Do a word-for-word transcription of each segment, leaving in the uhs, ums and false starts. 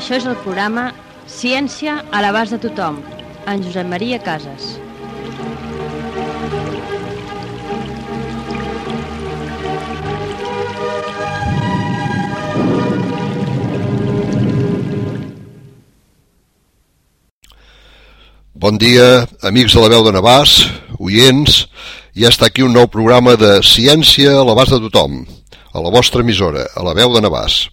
Això és el programa Ciència a l'abast de tothom, en Josep Maria Casas. Bon dia, amics de la veu de Navàs, oients. Ja està aquí un nou programa de Ciència a l'abast de tothom, a la vostra emissora, a la veu de Navàs.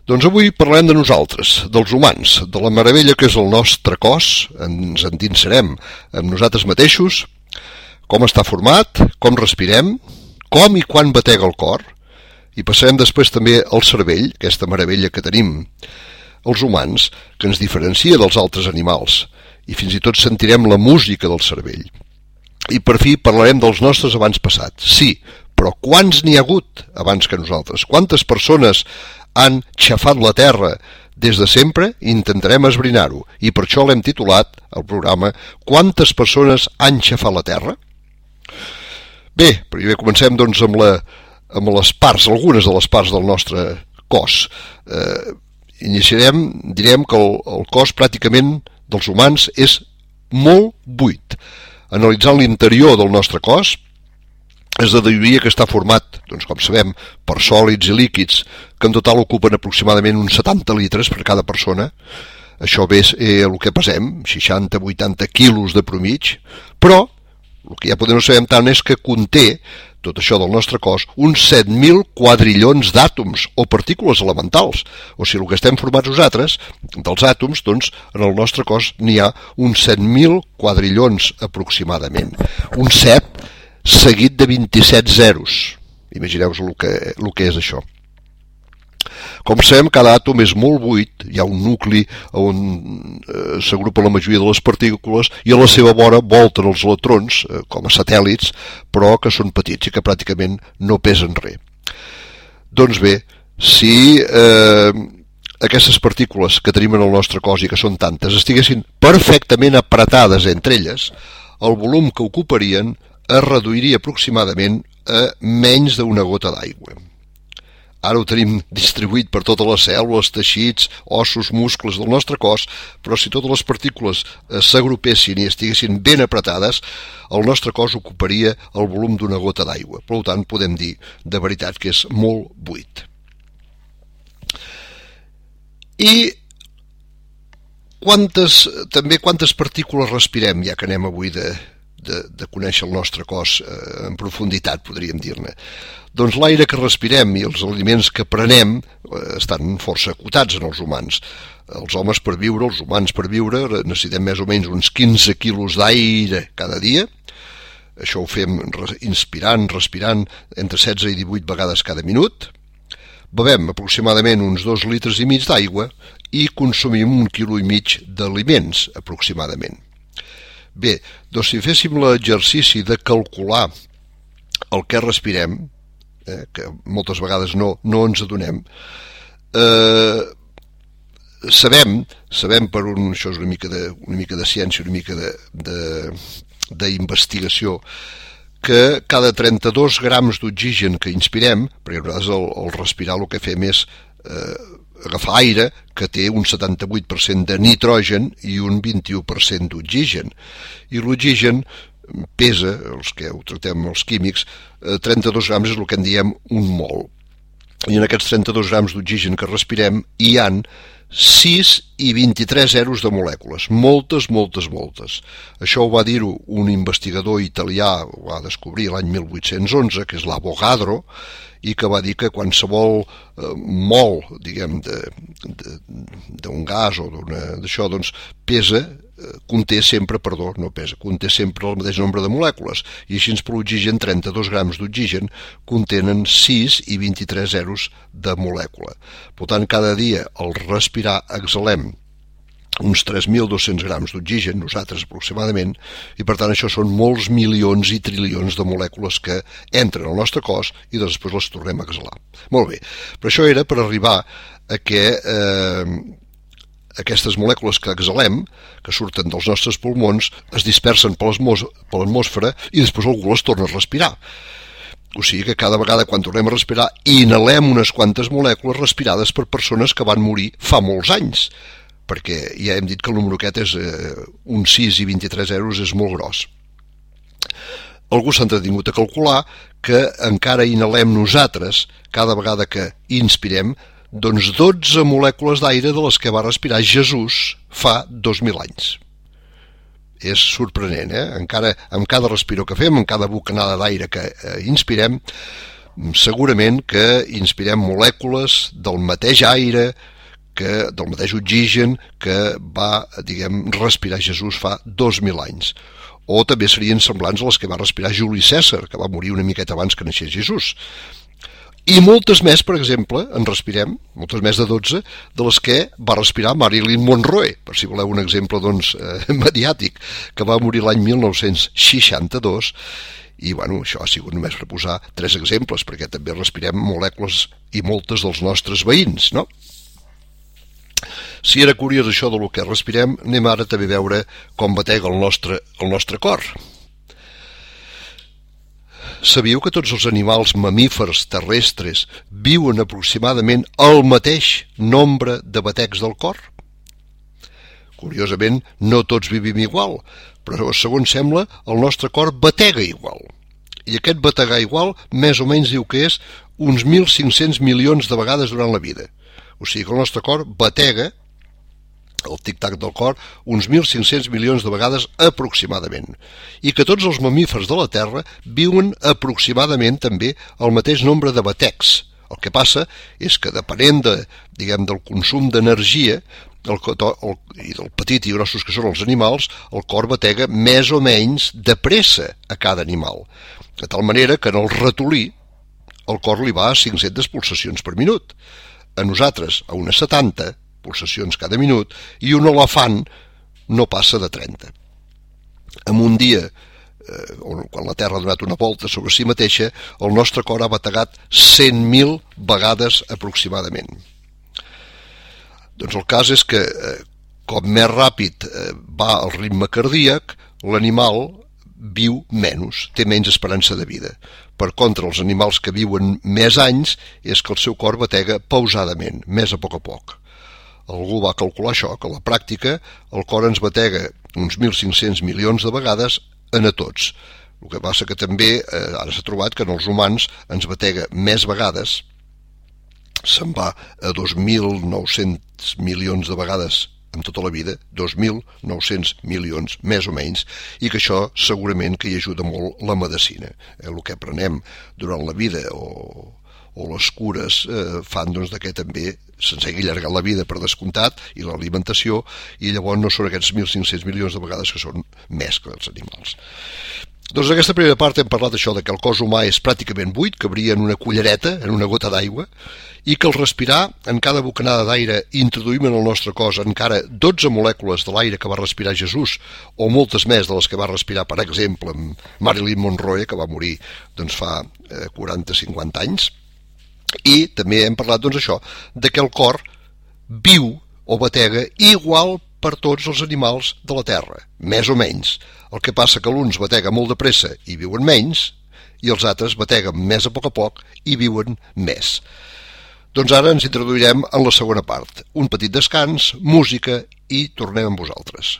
Doncs avui parlem de nosaltres, dels humans, de la meravella que és el nostre cos, ens endinsarem amb nosaltres mateixos, com està format, com respirem, com i quan batega el cor, i passarem després també al cervell, aquesta meravella que tenim, els humans, que ens diferencia dels altres animals, i fins i tot sentirem la música del cervell. I per fi parlarem dels nostres avantpassats. Sí, però quants n'hi ha hagut abans que nosaltres? Quantes persones han xafat la terra des de sempre? Intentarem esbrinar-ho, i per això l'hem titulat, el programa, Quantes persones han xafat la terra? Bé, primer comencem doncs amb, la, amb les parts, algunes de les parts del nostre cos. Eh, iniciarem, direm que el, el cos pràcticament dels humans és molt buit. Analitzant l'interior del nostre cos, es deduiria que està format, doncs com sabem, per sòlids i líquids, que en total ocupen aproximadament uns setanta litres per cada persona. Això ve eh, el que pesem, seixanta a vuitanta quilos de promig, però el que ja podem no sabem tant és que conté tot això del nostre cos, uns set mil quadrillons d'àtoms o partícules elementals. O sigui, el que estem formats nosaltres, dels àtoms, doncs, en el nostre cos n'hi ha uns set mil quadrillons aproximadament. Un set seguit de vint-i-set zeros. Imagineu-vos el que, el que és això. Com sabem, cada àtom és molt buit, hi ha un nucli on eh, s'agrupa la majoria de les partícules i a la seva vora volten els electrons eh, com a satèl·lits, però que són petits i que pràcticament no pesen res. Doncs bé, si eh, aquestes partícules que tenim en el nostre cos i que són tantes estiguessin perfectament apretades entre elles, el volum que ocuparien es reduiria aproximadament a menys d'una gota d'aigua. Ara ho tenim distribuït per totes les cèl·lules, teixits, ossos, muscles del nostre cos, però si totes les partícules s'agrupessin i estiguessin ben apretades, el nostre cos ocuparia el volum d'una gota d'aigua. Per tant, podem dir de veritat que és molt buit. I quantes, també quantes partícules respirem, ja que anem avui de, de, de conèixer el nostre cos eh, en profunditat, podríem dir-ne. Doncs l'aire que respirem i els aliments que prenem eh, estan força acotats en els humans. Els homes per viure, els humans per viure, necessitem més o menys uns quinze quilos d'aire cada dia. Això ho fem inspirant, respirant entre setze i divuit vegades cada minut. Bevem aproximadament uns dos litres i mig d'aigua i consumim un quilo i mig d'aliments aproximadament. Bé, doncs si féssim l'exercici de calcular el que respirem, eh, que moltes vegades no, no ens adonem, eh, sabem, sabem per un, això és una mica de, una mica de ciència, una mica de, de, d'investigació, que cada trenta-dos grams d'oxigen que inspirem, perquè a vegades el, el respirar el que fem és eh, agafar aire que té un setanta-vuit per cent de nitrogen i un vint-i-u per cent d'oxigen, i l'oxigen pesa, els que ho tractem els químics, trenta-dos grams és el que en diem un mol. I en aquests trenta-dos grams d'oxigen que respirem hi han sis i vint-i-tres zeros de molècules, moltes, moltes, moltes. Això ho va dir-ho un investigador italià, ho va descobrir l'any mil vuit-cents onze, que és l'Avogadro, i que va dir que qualsevol eh, mol, diguem, d'un gas o d'això, doncs pesa, eh, conté sempre, perdó, no pesa, conté sempre el mateix nombre de molècules, i així per l'oxigen, trenta-dos grams d'oxigen contenen sis i vint-i-tres zeros de molècula. Per tant, cada dia al respirar exhalem uns tres mil dos-cents grams d'oxigen, nosaltres aproximadament, i per tant això són molts milions i trilions de molècules que entren al nostre cos i després les tornem a exhalar. Molt bé, però això era per arribar a que eh, aquestes molècules que exhalem, que surten dels nostres pulmons, es dispersen per l'atmosfera i després algú les torna a respirar. O sigui que cada vegada quan tornem a respirar inhalem unes quantes molècules respirades per persones que van morir fa molts anys, perquè ja hem dit que el número aquest és eh, un sis i vint-i-tres zeros, és molt gros. Algú s'ha entretingut a calcular que encara inhalem nosaltres, cada vegada que inspirem, doncs dotze molècules d'aire de les que va respirar Jesús fa dos mil anys. És sorprenent, eh? Encara amb cada respiro que fem, amb cada bocanada d'aire que eh, inspirem, segurament que inspirem molècules del mateix aire, que, del mateix oxigen que va, diguem, respirar Jesús fa dos mil anys. O també serien semblants a les que va respirar Juli Cèsar, que va morir una miqueta abans que naixés Jesús. I moltes més, per exemple, en respirem, moltes més de dotze, de les que va respirar Marilyn Monroe, per si voleu un exemple doncs, eh, mediàtic, que va morir l'any mil nou-cents seixanta-dos, i bueno, això ha sigut només per posar tres exemples, perquè també respirem molècules i moltes dels nostres veïns, no? Si era curiós això del que respirem, anem ara també a veure com batega el nostre, el nostre cor. Sabíeu que tots els animals mamífers terrestres viuen aproximadament el mateix nombre de batecs del cor? Curiosament, no tots vivim igual, però segons sembla, el nostre cor batega igual. I aquest bategar igual, més o menys diu que és uns mil cinc-cents milions de vegades durant la vida. O sigui que el nostre cor batega, el tic-tac del cor, uns mil cinc-cents milions de vegades aproximadament, i que tots els mamífers de la Terra viuen aproximadament també el mateix nombre de batecs. El que passa és que depenent de, diguem, del consum d'energia el, el, i del petit i grossos que són els animals, el cor batega més o menys de pressa a cada animal, de tal manera que en el ratolí el cor li va a cinc-centes pulsacions per minut, a nosaltres a unes setanta pulsacions cada minut, i un elefant no passa de trenta. En un dia, eh, quan la Terra ha donat una volta sobre si mateixa, el nostre cor ha bategat cent mil vegades aproximadament. Doncs el cas és que, eh, com més ràpid eh, va el ritme cardíac, l'animal viu menys, té menys esperança de vida. Per contra, els animals que viuen més anys és que el seu cor batega pausadament, més a poc a poc. Algú va calcular això, que a la pràctica el cor ens batega uns mil cinc-cents milions de vegades en a tots. El que passa que també, eh, ara s'ha trobat que en els humans ens batega més vegades, se'n va a dos mil nou-cents milions de vegades en tota la vida, dos mil nou-cents milions, més o menys, i que això segurament que hi ajuda molt la medicina. Eh, el que aprenem durant la vida o... o les cures eh, fan doncs, que també se'ns hagi allargat la vida per descomptat i l'alimentació, i llavors no són aquests mil cinc-cents milions de vegades que són més que els animals. Doncs en aquesta primera part hem parlat això de que el cos humà és pràcticament buit, cabria en una cullereta, en una gota d'aigua, i que al respirar, en cada bocanada d'aire introduïm en el nostre cos encara dotze molècules de l'aire que va respirar Jesús, o moltes més de les que va respirar, per exemple, Marilyn Monroe, que va morir doncs, fa eh, quaranta a cinquanta anys. I també hem parlat doncs, això, de que el cor viu o batega igual per tots els animals de la Terra, més o menys. El que passa que l'uns batega molt de pressa i viuen menys, i els altres bateguen més a poc a poc i viuen més. Doncs ara ens introduirem en la segona part. Un petit descans, música i tornem amb vosaltres.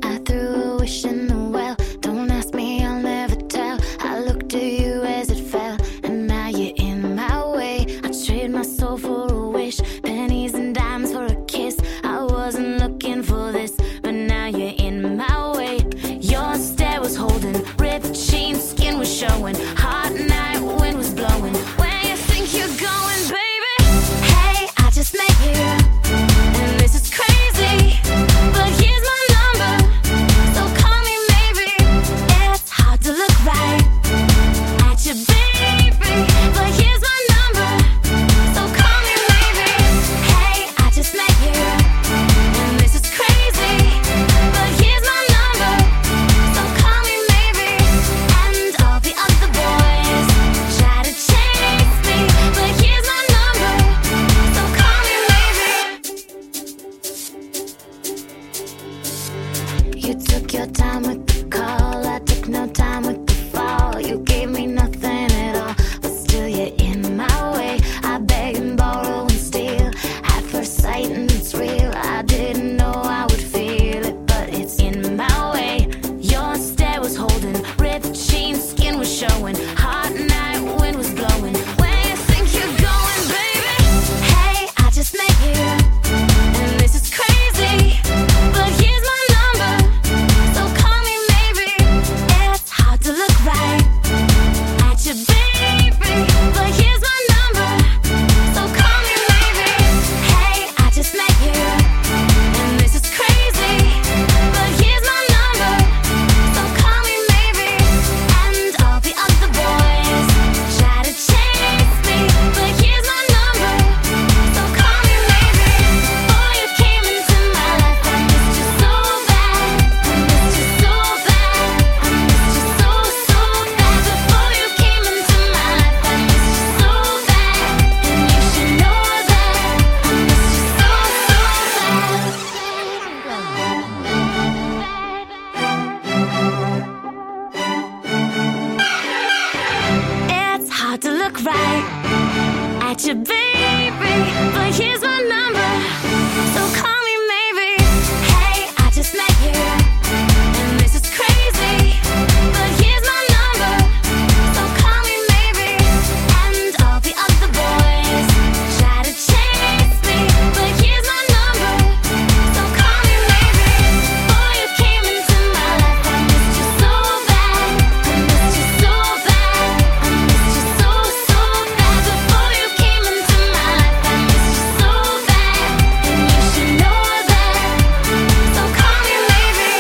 I threw a wish in the well. Don't ask me, I'll never tell. I looked to you as it fell, and now you're in my way. I trade my soul for a wish, pennies and dimes for a kiss. I wasn't looking for this, but now you're in my way. Your stare was holding, ripped jeans, skin was showing. Hot night, wind was blowing. Where you think you're going, baby? Hey, I just met you, and this is crazy, but here's my number, so call me maybe. You took your time with the call, I took no time with the fall. You gave me nothing at all, but still you're in my way. I beg and borrow and steal at first sight, and it's real. I didn't know I would feel it, but it's in my way. Your stare was holding, ripped jeans, skin was showing, hot night wind was blowing. Where you think you're going, baby? Hey, I just met you, and this is crazy, but here's my number, so call me maybe. It's hard to look right at you, baby, but here's my number, so call me maybe. Hey, I just met you, and this is crazy, but here's my number, so call me maybe. And all the other boys try to chase me, but here's my number, so call me maybe. Before you came into my life, I missed you so bad, I missed you so bad, I missed you so, so bad. Before you came into my life, I missed you so bad, and you should know that I missed you so, so bad. It's hard to look right at you, baby, but here's my number, so call me maybe. Hey, I just met you, and this is crazy, but here's my number, so call me maybe. And all the other boys try to chase me, but here's my number, so call me maybe. Before you came into my life, I missed you so bad, I missed you so bad, I missed you so, so bad. Before you came into my life, I missed you so bad, and you should know that, so call me maybe.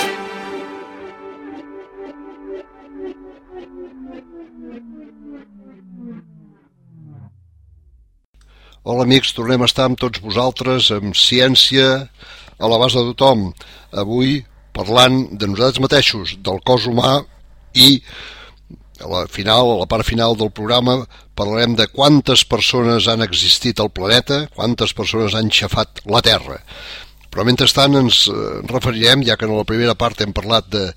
Hola amics, tornem a estar amb tots vosaltres amb ciència a l'abast de tothom. Avui parlant de nosaltres mateixos, del cos humà, i a la final, a la part final del programa parlarem de quantes persones han existit al planeta, quantes persones han xafat la Terra. Però mentrestant ens eh, referirem, ja que en la primera part hem parlat de,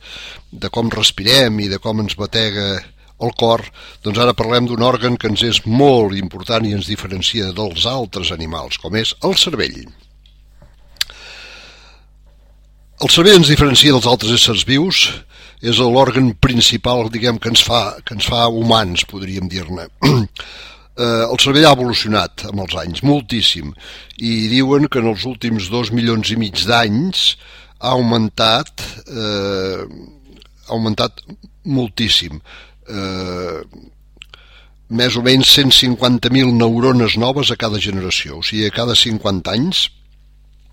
de com respirem i de com ens batega el cor, doncs ara parlem d'un òrgan que ens és molt important i ens diferencia dels altres animals, com és el cervell. El cervell ens diferencia dels altres éssers vius, és l'òrgan principal, diguem, que ens fa, que ens fa humans, podríem dir-ne. El cervell ha evolucionat amb els anys, moltíssim, i diuen que en els últims dos milions i mig d'anys ha augmentat, eh, ha augmentat moltíssim. Eh, més o menys cent cinquanta mil neurones noves a cada generació, o sigui, a cada cinquanta anys,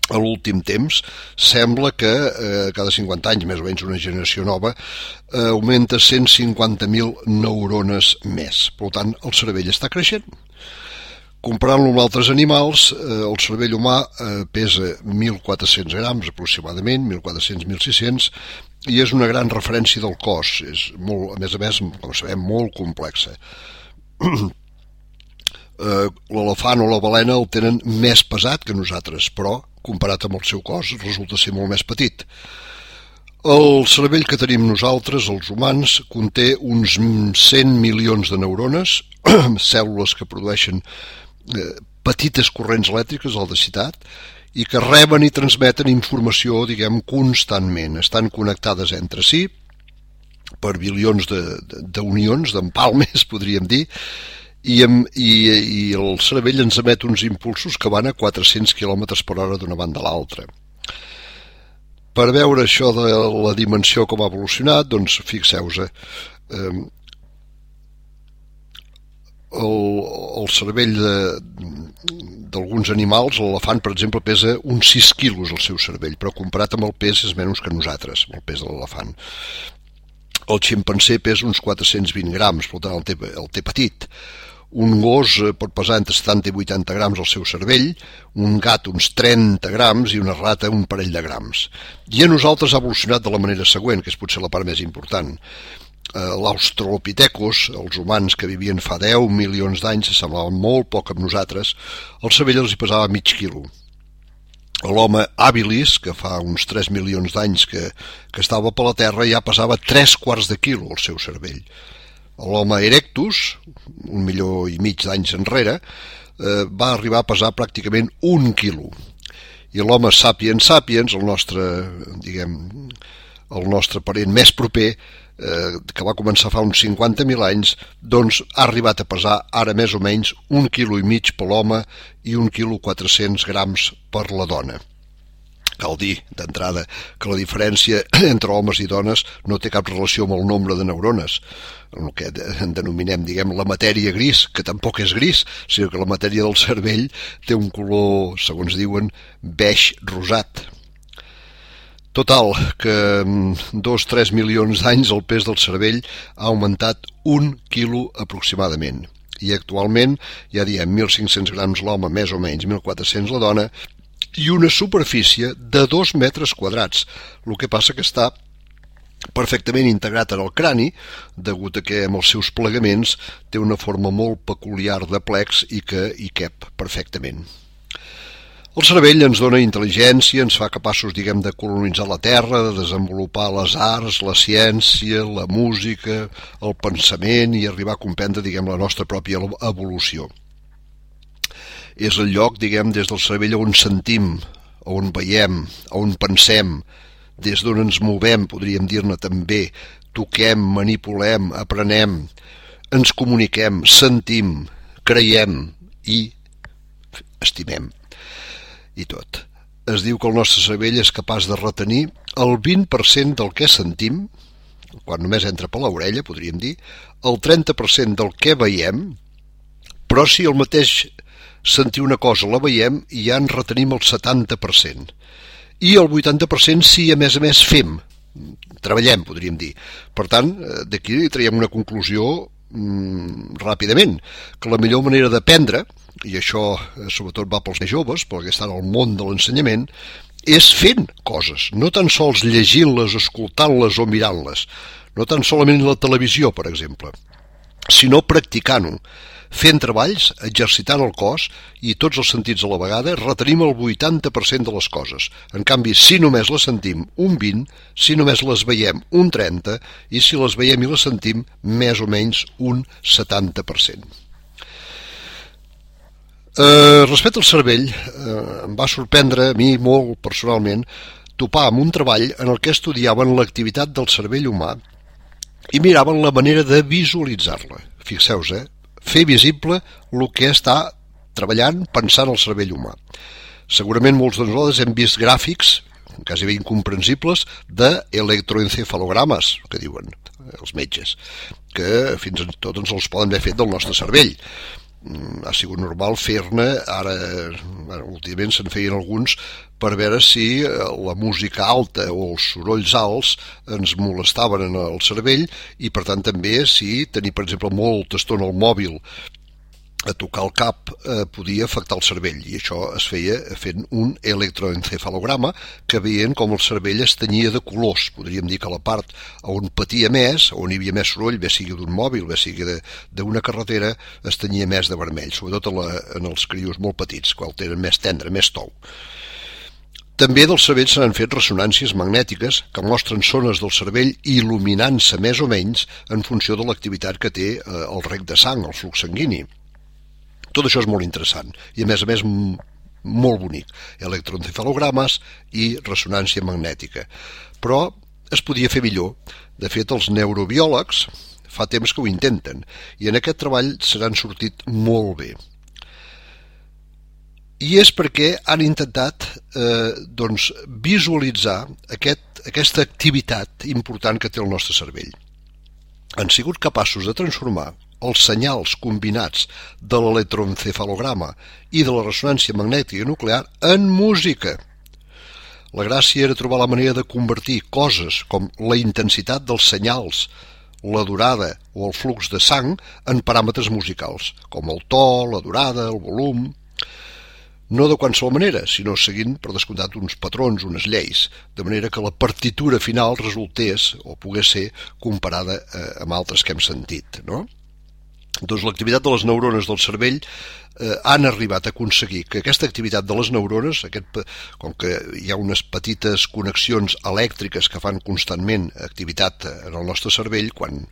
a l'últim temps, sembla que eh, cada cinquanta anys, més o menys una generació nova, eh, augmenta cent cinquanta mil neurones més. Per tant, el cervell està creixent. Comparant-lo amb altres animals, eh, el cervell humà eh, pesa mil quatre-cents grams aproximadament, mil quatre-cents a mil sis-cents, i és una gran referència del cos. És molt, a més a més, com sabem, molt complexa. eh, L'elefant o la balena el tenen més pesat que nosaltres, però comparat amb el seu cos resulta ser molt més petit. El cervell que tenim nosaltres, els humans, conté uns cent milions de neurones, cèl·lules que produeixen eh, petites corrents elèctriques, l'electricitat, i que reben i transmeten informació, diguem, constantment. Estan connectades entre si per bilions d'unions, d'empalmes, podríem dir, i, i, i el cervell ens emet uns impulsos que van a quatre-cents quilòmetres per hora d'una banda a l'altra. Per veure això de la dimensió com ha evolucionat, doncs fixeu-vos, eh, el, el cervell d'alguns animals, l'elefant, per exemple, pesa uns sis quilos el seu cervell, però comparat amb el pes és menys que nosaltres, el pes de l'elefant. El ximpanzé pesa uns quatre-cents vint grams, per tant el té, el té petit. Un gos pot pesar entre setanta i vuitanta grams al seu cervell, un gat uns trenta grams i una rata un parell de grams. I a nosaltres ha evolucionat de la manera següent, que és potser la part més important. L'australopithecus, els humans que vivien fa deu milions d'anys, semblaven molt poc amb nosaltres, el cervell els hi pesava mig quilo. l'home habilis, que fa uns tres milions d'anys que, que estava per la Terra, ja pesava tres quarts de quilo el seu cervell. L'home erectus, un milió i mig d'anys enrere, eh, va arribar a pesar pràcticament un quilo. I l'home sapiens sapiens, el nostre, diguem, el nostre parent més proper, eh, que va començar fa uns cinquanta mil anys, doncs ha arribat a pesar ara més o menys un quilo i mig per l'home i un quilo quatre-cents grams per la dona. Cal dir, d'entrada, que la diferència entre homes i dones no té cap relació amb el nombre de neurones, el que en denominem, diguem, la matèria gris, que tampoc és gris, sinó que la matèria del cervell té un color, segons diuen, beix rosat. Total, que en dos o tres milions d'anys el pes del cervell ha augmentat un quilo aproximadament. I actualment ja diem mil cinc-cents grams l'home, més o menys mil quatre-cents la dona, i una superfície de dos metres quadrats. El que passa que està perfectament integrat en el crani, degut a que amb els seus plegaments té una forma molt peculiar de plecs i que hi cap perfectament. El cervell ens dona intel·ligència, ens fa capaços, diguem, de colonitzar la Terra, de desenvolupar les arts, la ciència, la música, el pensament i arribar a comprendre, diguem, la nostra pròpia evolució. És el lloc, diguem, des del cervell on sentim, on veiem, on pensem, des d'on ens movem, podríem dir-ne també, toquem, manipulem, aprenem, ens comuniquem, sentim, creiem i estimem. I tot. Es diu que el nostre cervell és capaç de retenir el vint per cent del que sentim, quan només entra per l'orella, podríem dir, el trenta per cent del que veiem, però si el mateix sentir una cosa la veiem, ja en retenim el setanta per cent. I el vuitanta per cent si a més a més fem, treballem, podríem dir. Per tant, d'aquí traiem una conclusió mm, ràpidament, que la millor manera d'aprendre, i això sobretot va pels més joves, perquè estan al món de l'ensenyament, és fent coses, no tan sols llegint-les, escoltant-les o mirant-les, no tan solament la televisió, per exemple, sinó practicant-ho, fent treballs, exercitant el cos i tots els sentits a la vegada, retenim el vuitanta per cent de les coses. En canvi, si només les sentim, un vint, si només les veiem, un trenta, i si les veiem i les sentim, més o menys un setanta per cent. Eh, respecte al cervell, eh, em va sorprendre a mi molt personalment topar amb un treball en el que estudiaven l'activitat del cervell humà i miraven la manera de visualitzar-la. Fixeu-vos, eh? Fer visible el que està treballant, pensant el cervell humà. Segurament molts de nosaltres hem vist gràfics, quasi bé incomprensibles, d'electroencefalogrames, que diuen els metges, que fins i tot ens els poden haver fet del nostre cervell. Ha sigut normal fer-ne, ara últimament se'n feien alguns per veure si la música alta o els sorolls alts ens molestaven en el cervell i per tant també si tenir per exemple molta estona el mòbil a tocar el cap eh, podia afectar el cervell i això es feia fent un electroencefalograma que veien com el cervell es tenyia de colors, podríem dir que la part on patia més, on hi havia més soroll, bé sigui d'un mòbil, bé sigui d'una carretera, es tenyia més de vermell, sobretot en, la, en els crios molt petits, quan tenen més tendre, més tou. També del cervell se n'han fet ressonàncies magnètiques que mostren zones del cervell il·luminant-se més o menys en funció de l'activitat que té eh, el rec de sang, el flux sanguini. Tot això és molt interessant i a més a més molt bonic, electroencefalogrames i ressonància magnètica. Però es podia fer millor. De fet, els neurobiòlegs fa temps que ho intenten i en aquest treball se n'han sortit molt bé. I és perquè han intentat eh, doncs, visualitzar aquest, aquesta activitat important que té el nostre cervell. Han sigut capaços de transformar els senyals combinats de l'electroencefalograma i de la ressonància magnètica nuclear en música. La gràcia era trobar la manera de convertir coses com la intensitat dels senyals, la durada o el flux de sang en paràmetres musicals, com el to, la durada, el volum. No de qualsevol manera, sinó seguint, per descomptat, uns patrons, unes lleis, de manera que la partitura final resultés o pogués ser comparada eh, amb altres que hem sentit, no? Doncs l'activitat de les neurones del cervell eh, han arribat a aconseguir que aquesta activitat de les neurones, aquest, com que hi ha unes petites connexions elèctriques que fan constantment activitat en el nostre cervell, quan,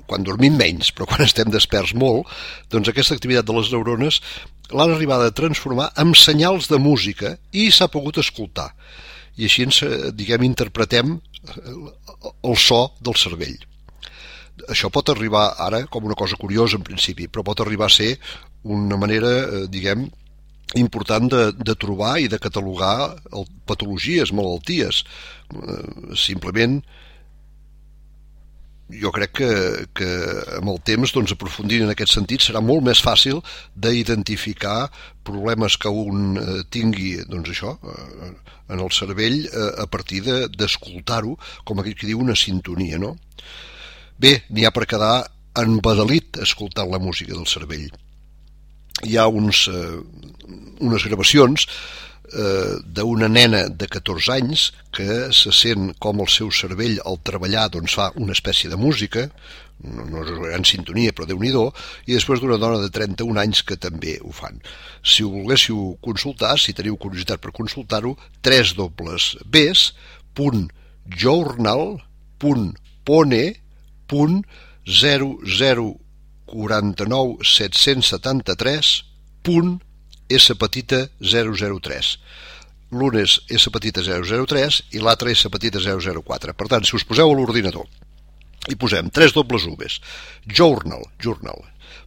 quan dormim menys, però quan estem desperts molt, doncs aquesta activitat de les neurones l'han arribat a transformar en senyals de música i s'ha pogut escoltar. I així ens, diguem, interpretem el so del cervell. Això pot arribar ara com una cosa curiosa en principi, però pot arribar a ser una manera, diguem, important de, de trobar i de catalogar patologies, malalties. Simplement, jo crec que, que amb el temps, doncs, aprofundint en aquest sentit, serà molt més fàcil d'identificar problemes que un eh, tingui, doncs això, eh, en el cervell eh, a partir de, d'escoltar-ho, com aquell que diu una sintonia, no? Bé, n'hi ha per quedar embadalit escoltant la música del cervell. Hi ha uns, eh, unes gravacions eh, d'una nena de catorze anys que se sent com el seu cervell al treballar doncs fa una espècie de música, no, no és una gran sintonia però Déu-n'hi-do, i després d'una dona de trenta-un anys que també ho fan. Si ho volguéssiu consultar, si teniu curiositat per consultar-ho, tres dobles bs punt journal punt pone punt zero zero quatre nou set set tres punt S petita zero zero tres. L'un és S petita zero zero tres i l'altre S petita zero zero quatre. Per tant, si us poseu a l'ordinador i posem tres dobles Vs, journal, journal,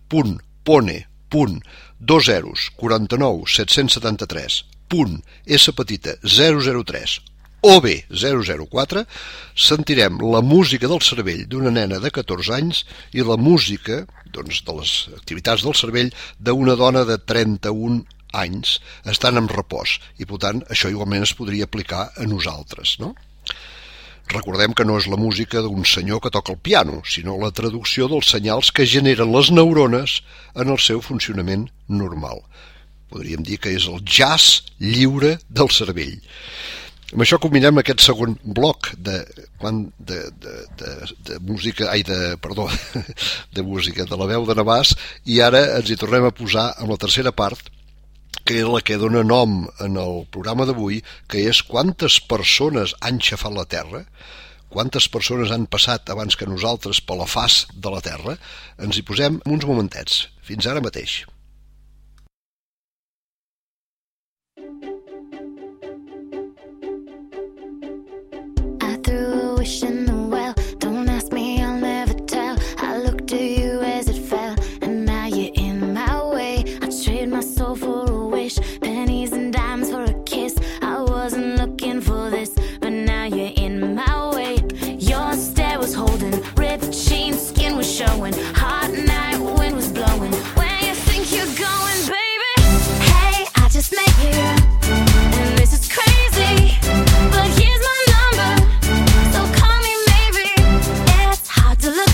punt, pone, punt, dos zeros, quaranta nou, set-cents setanta-tres, punt, S petita zero zero tres, o bé zero zero quatre, sentirem la música del cervell d'una nena de catorze anys i la música, doncs, de les activitats del cervell d'una dona de trenta-un anys. Estan en repòs i, per tant, això igualment es podria aplicar a nosaltres, no? Recordem que no és la música d'un senyor que toca el piano, sinó la traducció dels senyals que generen les neurones en el seu funcionament normal. Podríem dir que és el jazz lliure del cervell. Amb això combinem aquest segon bloc de, de, de, de, de música, ai, de, perdó, de música de la veu de Navàs, i ara ens hi tornem a posar amb la tercera part, que és la que dona nom en el programa d'avui, que és quantes persones han xafat la Terra, quantes persones han passat abans que nosaltres per la faç de la Terra. Ens hi posem uns momentets. Fins ara mateix. Wish in the well, don't ask me, I'll never tell. I looked at you as it fell, and now you're in my way. I trade my soul for a wish, pennies and dimes for a kiss. I wasn't looking for this, but now you're in my way. Your stare was holding, ripped jeans, skin was showing, hot night, wind was blowing. Where you think you're going, baby? Hey, I just met you, and this is crazy, but here's my number.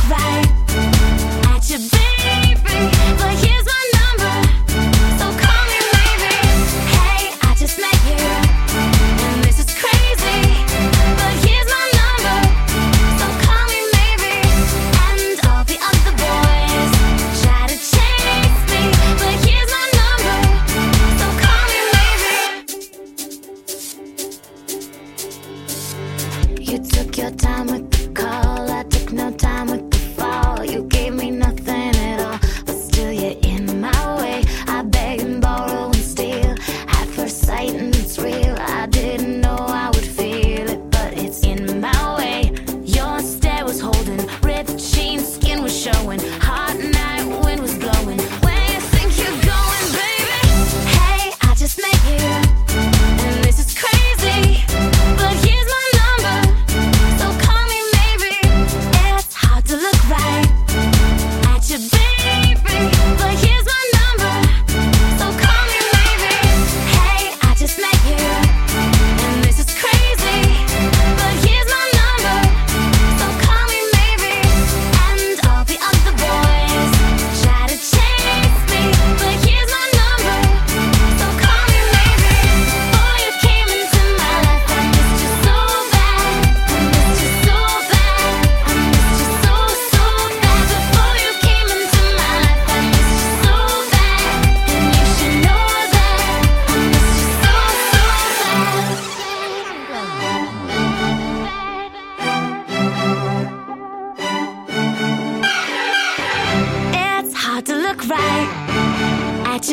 Right at your baby, but here's my number, so call me maybe. Hey, I just met you, and this is crazy, but here's my number, so call me maybe. And all the other boys try to chase me, but here's my number, so call me maybe. You took your time with the call, I took no time with the fall. You gave me nothing at all, but still you're in my way. I beg and borrow and steal at first sight, and it's real. I didn't know I would feel it, but it's in my way. Your stare was holding, ripped jeans, skin was showing, hot night, wind was blowing. Where you think you're going, baby? Hey, I just met you, and this is crazy, but here's my number, so call me maybe. It's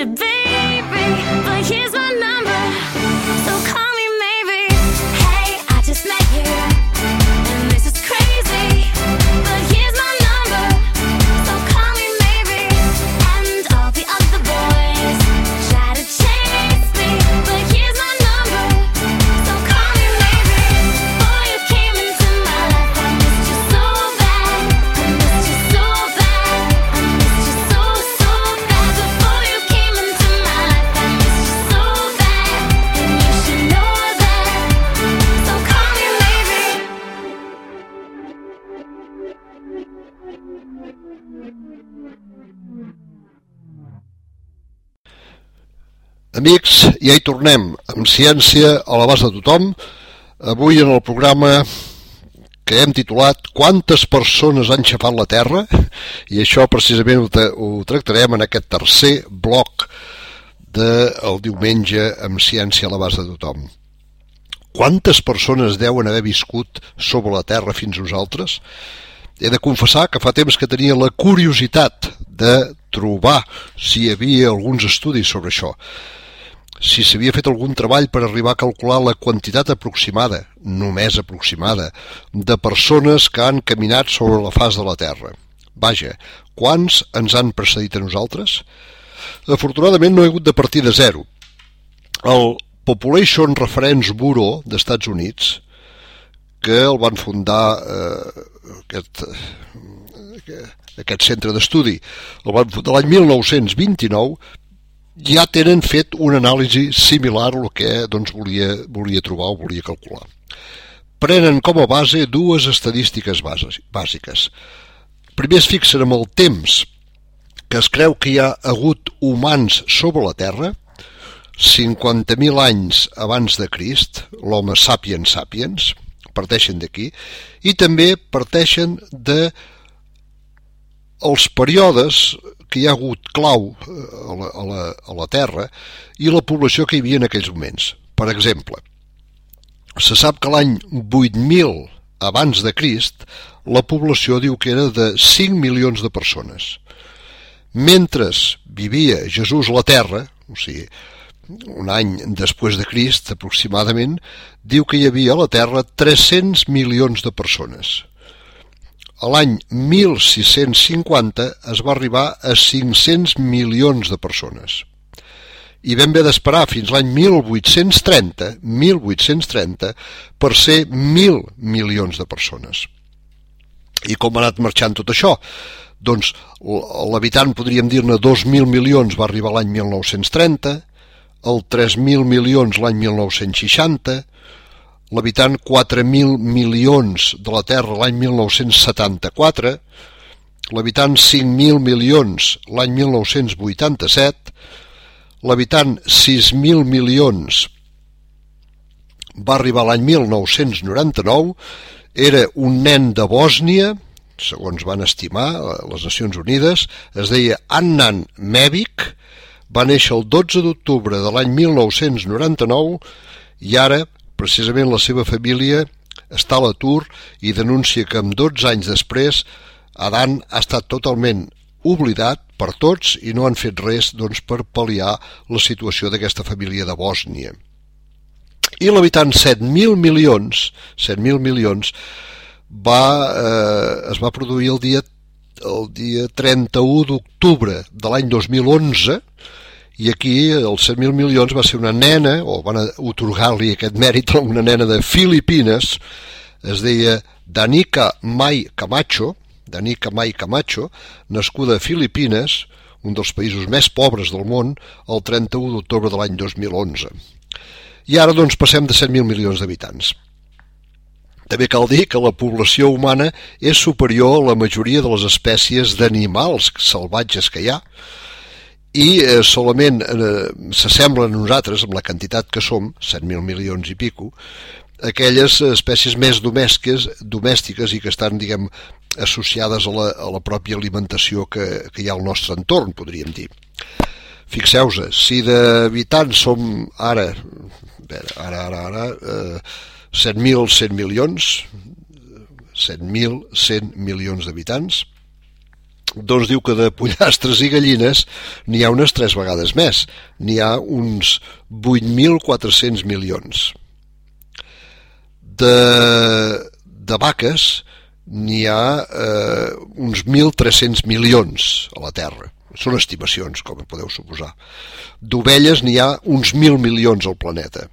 you, baby, but here's my number, so call me maybe. Hey, I just met you, and this is crazy, but here's my number, so call me maybe. And all the other boys try to chase me, but here's my number, so call me maybe. Before you came into my life, I missed you so bad, I missed you so bad, I missed you so, so bad. Before you came into my life, I missed you so bad, and you should know that, so call me maybe. Amics, ja hi tornem, amb ciència a l'abast de tothom. Avui en el programa que hem titulat Quantes persones han xafat la Terra? I això precisament ho, tra ho tractarem en aquest tercer bloc del diumenge amb ciència a l'abast de tothom. Quantes persones deuen haver viscut sobre la Terra fins nosaltres? He de confessar que fa temps que tenia la curiositat de trobar si hi havia alguns estudis sobre això, si s'havia fet algun treball per arribar a calcular la quantitat aproximada, només aproximada, de persones que han caminat sobre la faç de la Terra. Vaja, quants ens han precedit a nosaltres? Afortunadament no he hagut de partir de zero. El Population Reference Bureau d'Estats Units, que el van fundar eh, aquest, eh, aquest centre d'estudi, el van fundar l'any mil nou-cents vint-i-nou, ja tenen fet una anàlisi similar al que doncs, volia, volia trobar o volia calcular. Prenen com a base dues estadístiques bàsiques. Primer es fixen amb el temps que es creu que hi ha hagut humans sobre la Terra, cinquanta mil anys abans de Crist, l'home sapiens sapiens, parteixen d'aquí, i també parteixen de els períodes que hi ha hagut clau a la, a, la, a la Terra i la població que hi havia en aquells moments. Per exemple, se sap que l'any vuit mil abans de Crist la població diu que era de cinc milions de persones. Mentre vivia Jesús a la Terra, o sigui, un any després de Crist aproximadament, diu que hi havia a la Terra tres-cents milions de persones. A l'any mil sis-cents cinquanta es va arribar a cinc-cents milions de persones. I vam haver d'esperar fins l'any mil vuit-cents trenta, mil vuit-cents trenta, per ser mil milions de persones. I com ha anat marxant tot això? Doncs l'habitant, podríem dir-ne, dos mil milions va arribar l'any mil nou-cents trenta, el tres mil milions l'any mil nou-cents seixanta, l'habitant quatre mil milions de la Terra l'any mil nou-cents setanta-quatre, l'habitant cinc mil milions l'any mil nou-cents vuitanta-set, l'habitant sis mil milions va arribar l'any mil nou-cents noranta-nou, era un nen de Bòsnia, segons van estimar les Nacions Unides, es deia Adnan Mebic, va néixer el dotze d'octubre de l'any mil nou-cents noranta-nou i ara, precisament, la seva família està a l'atur i denuncia que amb dotze anys després Adnan ha estat totalment oblidat per tots i no han fet res doncs, per pal·liar la situació d'aquesta família de Bòsnia. I l'habitant set mil milions, set mil milions va, eh, es va produir el dia, el dia trenta-u d'octubre de l'any dos mil onze, i aquí els set mil milions va ser una nena, o van atorgar-li aquest mèrit a una nena de Filipines, es deia Danica Mai Camacho, Danica Mai Camacho, nascuda a Filipines, un dels països més pobres del món, el trenta-u d'octubre de l'any dos mil onze. I ara doncs passem de set mil milions d'habitants. També cal dir que la població humana és superior a la majoria de les espècies d'animals salvatges que hi ha, i eh, solament eh, s'assemblen a nosaltres, amb la quantitat que som, set mil milions i pico, aquelles espècies més domèstiques, domèstiques i que estan, diguem, associades a la, a la pròpia alimentació que, que hi ha al nostre entorn, podríem dir. Fixeu-vos, si d'habitants som ara, ara, ara, ara, eh, set mil cent milions, set mil cent milions d'habitants, doncs diu que de pollastres i gallines n'hi ha unes tres vegades més, n'hi ha uns vuit mil quatre-cents milions. De, de vaques n'hi ha eh, uns mil tres-cents milions a la Terra. Són estimacions, com podeu suposar. D'ovelles n'hi ha uns mil milions al planeta.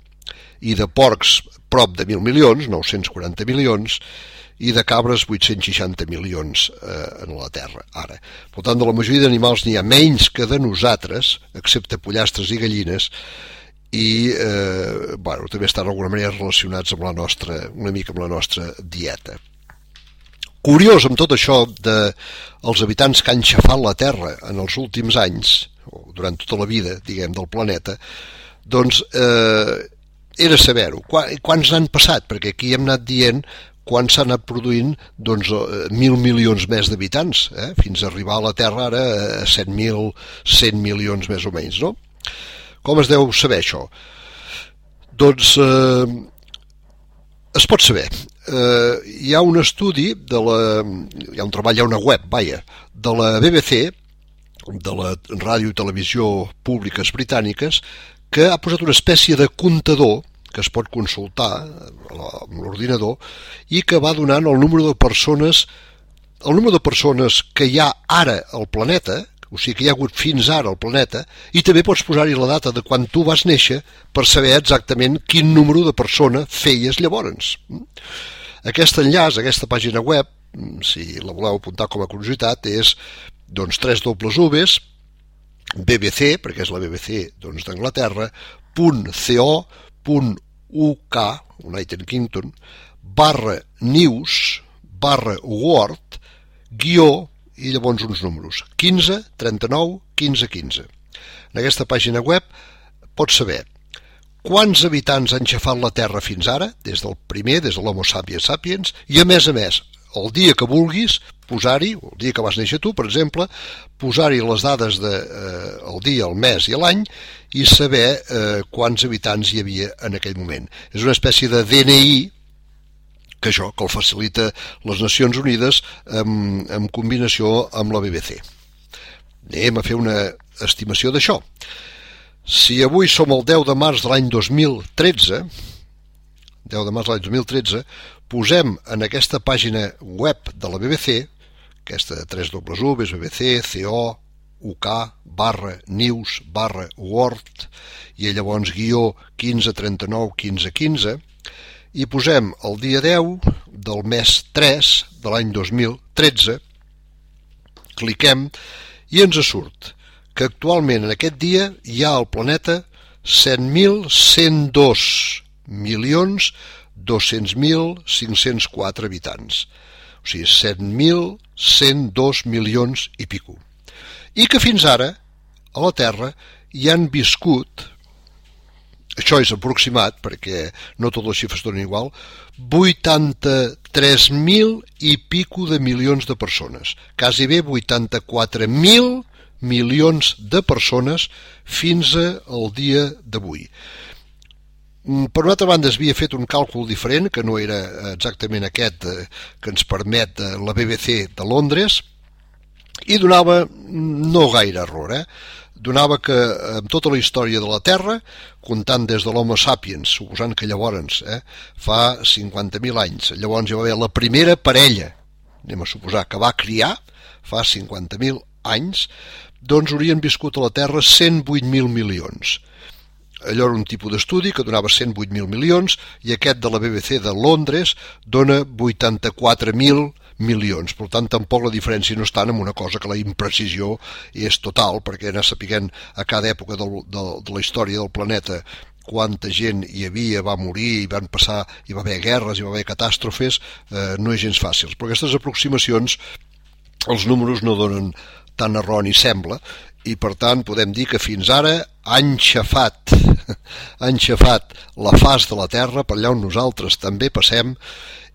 I de porcs prop de mil milions, nou-cents quaranta milions, i de cabres vuit-cents seixanta milions eh, en la Terra, ara. Per tant, de la majoria d'animals n'hi ha menys que de nosaltres, excepte pollastres i gallines, i eh, bueno, també estan d'alguna manera relacionats amb la nostra, una mica amb la nostra dieta. Curiós amb tot això dels habitants que han xafat la Terra en els últims anys, o durant tota la vida, diguem, del planeta, doncs eh, era saber-ho. Quants n'han passat? Perquè aquí hem anat dient quan s'han anat produint doncs, mil milions més d'habitants, eh? Fins a arribar a la Terra ara a set mil cent milions més o menys, no? Com es deu saber això? Doncs eh, es pot saber. Eh, hi ha un estudi, de la, hi ha un treball, hi ha una web, vaja, de la B B C, de la ràdio i televisió públiques britàniques, que ha posat una espècie de comptador que es pot consultar amb l'ordinador i que va donant el número de persones el número de persones que hi ha ara al planeta, o sigui que hi ha hagut fins ara al planeta, i també pots posar-hi la data de quan tu vas néixer per saber exactament quin número de persona feies llavors. Aquest enllaç, aquesta pàgina web, si la voleu apuntar com a curiositat, és doncs tres dobles uves, B B C, perquè és la B B C doncs, d'Anglaterra, .co, .uk, United Kingdom, barra news, barra word, guió, i llavors uns números, quinze, trenta-nou, quinze, quinze. En aquesta pàgina web pots saber quants habitants han xafat la Terra fins ara, des del primer, des de l'Homo sapiens sapiens, i a més a més, el dia que vulguis, posar-hi, el dia que vas néixer tu, per exemple, posar-hi les dades del de, eh, dia, el mes i l'any, i saber eh, quants habitants hi havia en aquell moment. És una espècie de D N I, que això, que el facilita les Nacions Unides en, en combinació amb la B B C. Anem a fer una estimació d'això. Si avui som el deu de març de l'any dos mil tretze, deu de març de l'any dos mil tretze, posem en aquesta pàgina web de la B B C, aquesta tres dobles u, B B C, co, uk, barra news, barra word, i llavors guió quinze, trenta-nou, quinze, quinze, i posem el dia deu del mes tres de l'any dos mil tretze, cliquem i ens surt que actualment en aquest dia hi ha al planeta set mil cent dos milions dos-cents mil cinc-cents quatre habitants. O sigui, set mil cent dos milions i pico. I que fins ara a la Terra hi han viscut, això és aproximat perquè no totes les xifres donen igual, vuitanta-tres mil i pico de milions de persones, quasi bé vuitanta-quatre mil milions de persones fins al dia d'avui. Per una altra banda, es havia fet un càlcul diferent, que no era exactament aquest que ens permet la B B C de Londres, i donava no gaire error, eh? Donava que en tota la història de la Terra, comptant des de l'Homo sapiens, suposant que llavors, eh, fa cinquanta mil anys, llavors hi va haver la primera parella, anem a suposar, que va criar, fa cinquanta mil anys, doncs haurien viscut a la Terra cent vuit mil milions. Allò era un tipus d'estudi que donava cent vuit mil milions i aquest de la B B C de Londres dona vuitanta-quatre mil milions. Per tant, tampoc la diferència no és tant amb una cosa que la imprecisió és total, perquè anar sapiguent a cada època del, del, de la història del planeta quanta gent hi havia, va morir, hi van passar, hi va haver guerres, hi va haver catàstrofes, eh, no és gens fàcil. Però aquestes aproximacions, els números no donen tan erroni sembla, i per tant podem dir que fins ara han xafat, han xafat la faç de la Terra, per allà on nosaltres també passem,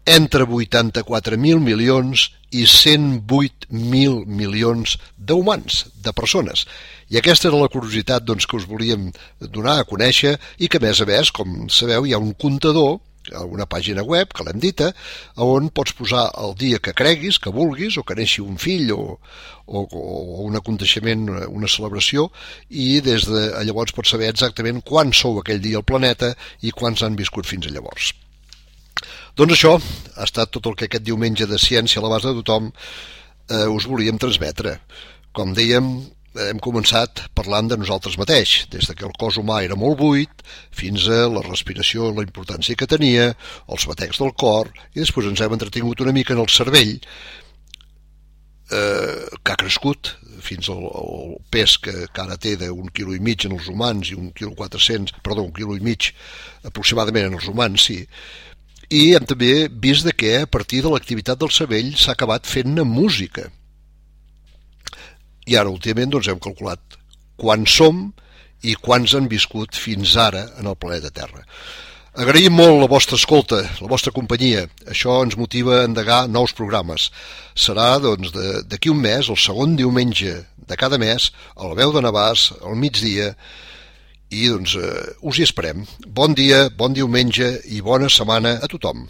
entre vuitanta-quatre mil milions i cent vuit mil milions d'humans, de persones. I aquesta era la curiositat doncs, que us volíem donar a conèixer i que, a més a més, com sabeu, hi ha un comptador una pàgina web, que l'hem dita, on pots posar el dia que creguis, que vulguis, o que neixi un fill, o, o, o un aconteixement, una celebració, i des de llavors pots saber exactament quan sou aquell dia al planeta i quants han viscut fins a llavors. Doncs això ha estat tot el que aquest diumenge de Ciència a l'abast de tothom eh, us volíem transmetre. Com dèiem, hem començat parlant de nosaltres mateix, des que el cos humà era molt buit, fins a la respiració, la importància que tenia, els batecs del cor, i després ens hem entretingut una mica en el cervell, eh, que ha crescut fins al, al pes que, que ara té d'un quilo i mig en els humans i un quilo quatre-cents, perdó, un quilo i mig aproximadament en els humans, sí. I hem també vist de que a partir de l'activitat del cervell s'ha acabat fent-ne música. I ara últimament doncs, hem calculat quants som i quants han viscut fins ara en el planeta Terra. Agraïm molt la vostra escolta, la vostra companyia. Això ens motiva a endegar nous programes. Serà doncs, d'aquí un mes, el segon diumenge de cada mes, a la Veu de Navàs, al migdia, i doncs, eh, us hi esperem. Bon dia, bon diumenge i bona setmana a tothom.